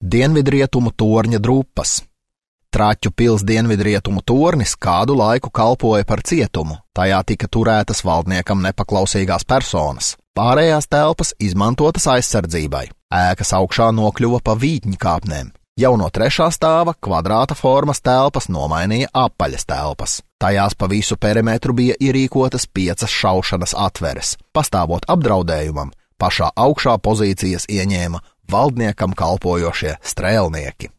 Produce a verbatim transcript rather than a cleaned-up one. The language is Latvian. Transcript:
Dienvidrietumu torņa drupas. Traķu pils dienvidrietumu tornis kādu laiku kalpoja par cietumu, tajā tika turētas valdniekam nepaklausīgās personas. Pārējās telpas izmantotas aizsardzībai. Ēkas augšā nokļuva pa vītņkāpnēm. Jau no trešā stāva kvadrāta formas telpas nomainīja apaļas telpas. Tajās pa visu perimetru bija ierīkotas piecas šaušanas atveres. Pastāvot apdraudējumam, pašā augšā pozīcijas ieņēma valdniekam kalpojošie strēlnieki.